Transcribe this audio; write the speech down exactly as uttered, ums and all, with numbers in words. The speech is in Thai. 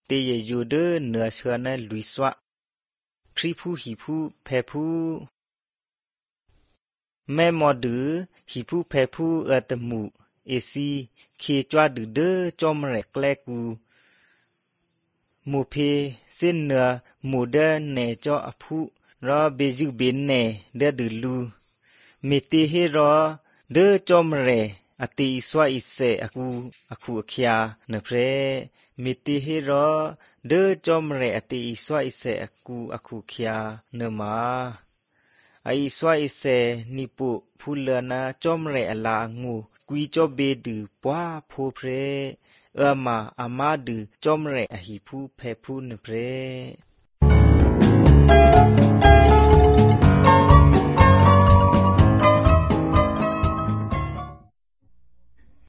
เตยอยู่เดอเหนือเชือนะลุยสวะพริผู้หิผู้แพผู้แม่มอดือหิผู้แพผู้เอตมูเอซีเคจวาดือเดอจอมแรกแกลกูหมู่เพเส้นเนื้อหมู่เดเนจออผู้รอเบจุเบนเนเดดือลูเมเตเฮรอเดอจอมแรอติสวะอิเสอกูอคูอคยาเนเพรเมเตเฮรอเดอจอมแรอติสวะอิเสอกูอคูคยาเนมาไอสวะอิเสนิปุพูเลนะจอมแรอลางูกุยจอเบดือปัวโพเพรเออมาอามาดือจอมแรอหิผู้แพผู้เนเพร